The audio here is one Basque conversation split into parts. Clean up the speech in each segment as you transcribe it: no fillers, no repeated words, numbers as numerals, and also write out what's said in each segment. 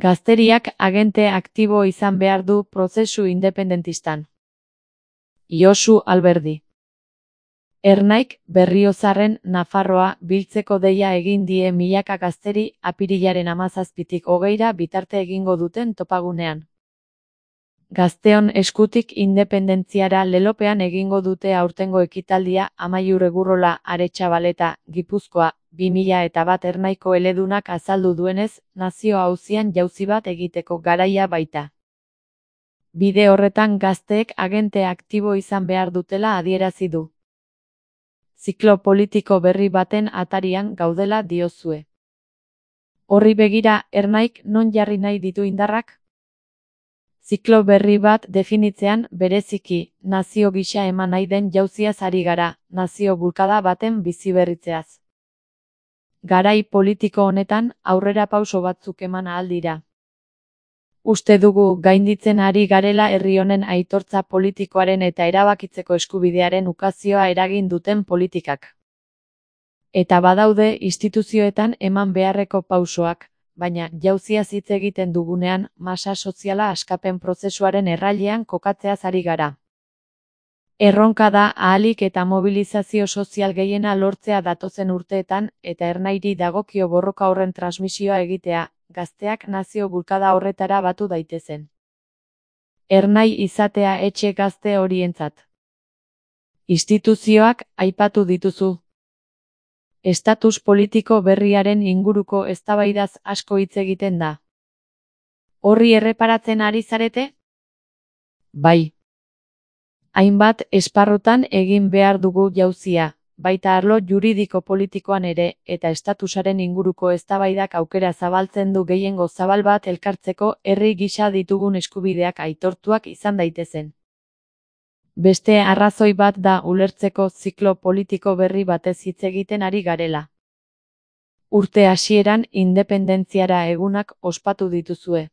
Gazteriak agente aktibo izan behar du prozesu independentistan. Josu Alberdi. Ernaik Berriozarren Nafarroa biltzeko deia egin die milaka gazteri apirilaren 17tik 20ra bitarte egingo duten topagunean. Gazteon eskutik independentziara lelopean egingo dute aurtengo ekitaldia Amaiur Egurrola Aretxabaleta, Gipuzkoa, 2001 Ernaiko eledunak azaldu duenez, nazio auzian jauzi bat egiteko garaia baita. Bide horretan gazteek agente aktibo izan behar dutela adierazi du. Ziklo politiko berri baten atarian gaudela diozue. Horri begira, Ernaik non jarri nahi ditu indarrak? Ziklo berri bat definitzean bereziki, nazio gisa eman nahi den jauziaz ari gara, nazio bulkada baten biziberritzeaz. Garai politiko honetan aurrerapauso batzuk eman ahal dira. Uste dugu gainditzen ari garela herri honen aitortza politikoaren eta erabakitzeko eskubidearen ukazioa eragin duten politikak. Eta badaude instituzioetan eman beharreko pausoak, baina jauziaz hitz egiten dugunean masa soziala askapen prozesuaren errailean kokatzeaz ari gara. Erronka da ahalik eta mobilizazio sozial gehiena lortzea datozen urteetan eta Ernairi dagokio borroka horren transmisioa egitea, gazteak nazio bulkada horretara batu daitezen. Ernai izatea etxe gazte horientzat. Instituzioak aipatu dituzu. Estatus politiko berriaren inguruko eztabaidaz asko hitz egiten da. Horri erreparatzen ari zarete? Bai. Hainbat esparrutan egin behar dugu jauzia, baita arlo juridiko politikoan ere, eta estatusaren inguruko eztabaidak aukera zabaltzen du gehiengo zabal bat elkartzeko herri gisa ditugun eskubideak aitortuak izan daitezen. Beste arrazoi bat da ulertzeko ziklo politiko berri batez hitz egiten ari garela. Urte hasieran independentziara egunak ospatu dituzue.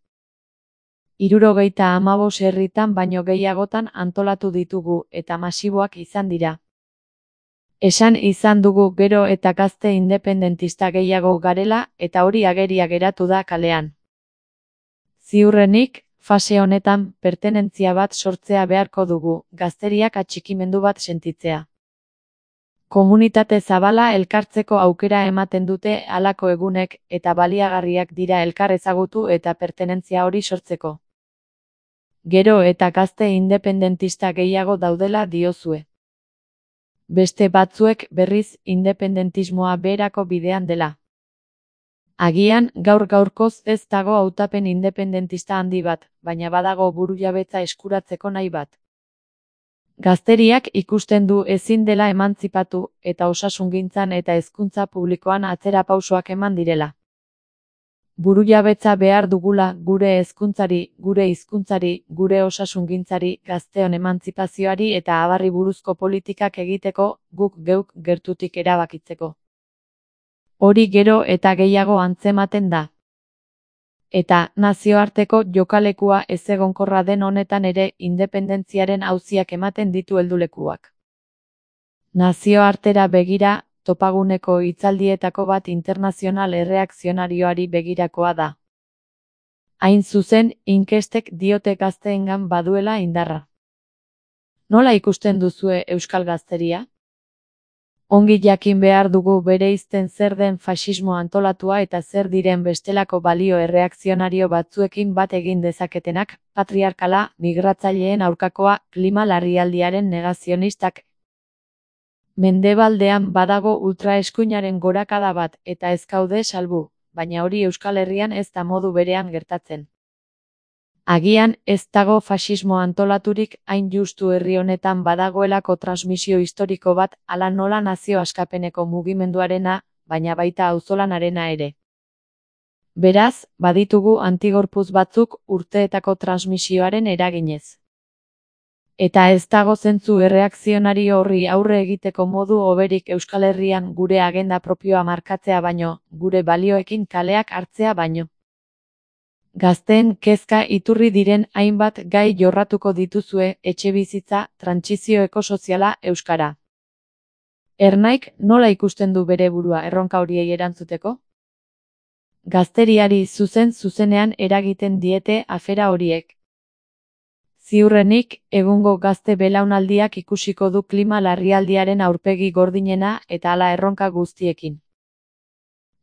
75 herritan baino gehiagotan antolatu ditugu eta masiboak izan dira. Esan izan dugu gero eta gazte independentista gehiago garela eta hori ageria geratu da kalean. Ziurrenik, fase honetan pertenentzia bat sortzea beharko dugu, gazteriak atxikimendu bat sentitzea. Komunitate zabala elkartzeko aukera ematen dute halako egunek eta baliagarriak dira elkar ezagutu eta pertenentzia hori sortzeko. Gero eta gazte independentista gehiago daudela diozue. Beste batzuek berriz independentismoa beherako bidean dela. Agian gaur-gaurkoz ez dago hautapen independentista handi bat, baina badago burujabetza eskuratzeko nahi bat. Gazteriak ikusten du ezin dela emantzipatu eta osasungintzan eta hezkuntza publikoan atzerapausoak eman direla. Burujabetza behar dugula gure hezkuntzari, gure hizkuntzari, gure osasungintzari, gazteon emantzipazioari eta abarri buruzko politikak egiteko, guk geuk gertutik erabakitzeko. Hori gero eta gehiago antzematen da. Eta nazioarteko jokalekua ezegonkorra den honetan ere independentziaren auziak ematen ditu heldulekuak. Nazioartera begira, topaguneko hitzaldietako bat internazional erreakzionarioari begirakoa da. Hain zuzen, inkestek diote gazteengan baduela indarra. Nola ikusten duzue euskal gazteria? Ongi jakin behar dugu bereizten zer den faxismo antolatua eta zer diren bestelako balio erreakzionario batzuekin bat egin dezaketenak, patriarkala, migratzaileen aurkakoa, klima larrialdiaren negazionistak. Mendebaldean badago ultraeskuinaren gorakada bat eta ez gaude salbu, baina hori Euskal Herrian ez da modu berean gertatzen. Agian ez dago faxismo antolaturik hain justu herri honetan badagoelako transmisio historiko bat hala nola nazio askapeneko mugimenduarena, baina baita auzolanarena ere. Beraz, baditugu antigorputz batzuk urteetako transmisioaren eraginez. Eta ez dago zentzu erreakzionario horri aurre egiteko modu hoberik Euskal Herrian gure agenda propioa markatzea baino, gure balioekin kaleak hartzea baino. Gazteen kezka iturri diren hainbat gai jorratuko dituzue, etxebizitza, trantsizio ekosoziala, euskara. Ernaik nola ikusten du bere burua erronka horiei erantzuteko? Gazteriari zuzenean eragiten diete afera horiek. Ziurrenik, egungo gazte belaunaldiak ikusiko du klima larrialdiaren aurpegi gordinena eta hala erronka guztiekin.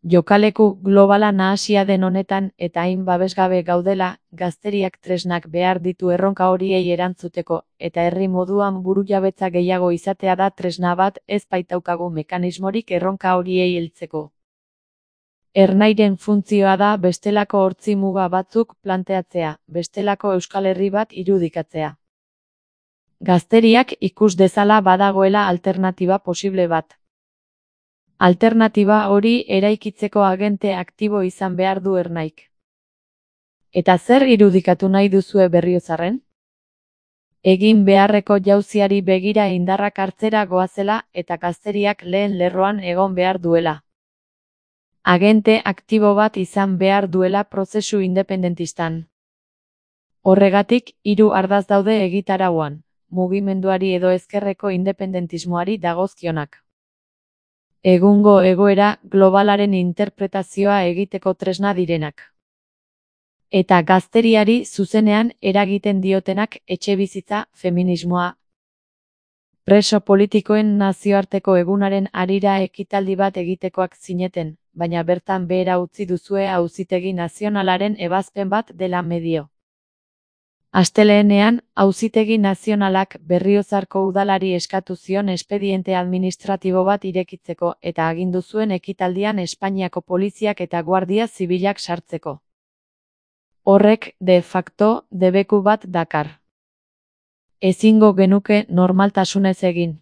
Jokaleku globala nahasia den honetan eta hain babesgabe gaudela, gazteriak tresnak behar ditu erronka horiei erantzuteko, eta herri moduan burujabetza gehiago izatea da tresna bat, ez baitaukagu mekanismorik erronka horiei heltzeko. Ernairen funtzioa da bestelako hortzi muga batzuk planteatzea, bestelako Euskal Herri bat irudikatzea. Gazteriak ikus dezala badagoela alternatiba posible bat. Alternatiba hori eraikitzeko agente aktibo izan behar du Ernaik. Eta zer irudikatu nahi duzue Berriozarren? Egin beharreko jauziari begira indarrak hartzera goazela eta gazteriak lehen lerroan egon behar duela. Agente aktibo bat izan behar duela prozesu independentistan. Horregatik, 3 ardatz daude egitarauan, mugimenduari edo ezkerreko independentismoari dagozkionak. Egungo egoera globalaren interpretazioa egiteko tresna direnak. Eta gazteriari zuzenean eragiten diotenak etxebizitza, feminismoa. Preso politikoen nazioarteko egunaren harira ekitaldi bat egitekoak zineten, baina bertan behera utzi duzue Auzitegi Nazionalaren ebazpen bat dela medio. Astelehenean, Auzitegi Nazionalak Berriozarko udalari eskatu zion espediente administratibo bat irekitzeko eta agindu zuen ekitaldian Espainiako poliziak eta guardia zibilak sartzeko. Horrek, de facto, debeku bat dakar. Ezingo genuke normaltasunez egin.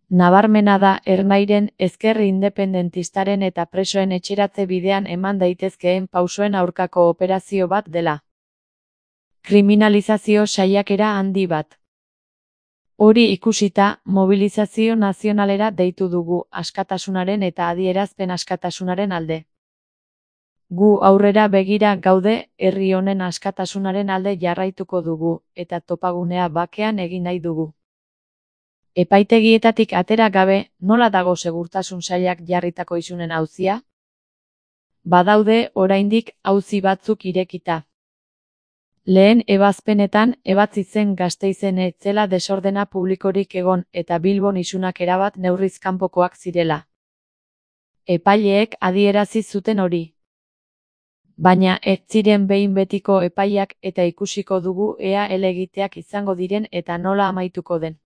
Nabarmena da Ernairen ezker independentistaren eta presoen etxeratze bidean eman daitezkeen pausoen aurkako operazio bat dela. Kriminalizazio saiakera handi bat. Hori ikusita, mobilizazio nazionalera deitu dugu askatasunaren eta adierazpen askatasunaren alde. Gu aurrera begira gaude, herri honen askatasunaren alde jarraituko dugu, eta topagunea bakean egin nahi dugu. Epaitegietatik atera gabe, nola dago segurtasun sailak jarritako isunen auzia? Badaude oraindik auzi batzuk irekita. Lehen ebazpenetan ebatzi zen Gasteizen ez zela desordena publikorik egon eta Bilbon isunak erabat neurriz kanpokoak zirela. Epaileek adierazi zuten hori. Baina ez ziren behin betiko epaiak eta ikusiko dugu ea helegiteak izango diren eta nola amaituko den.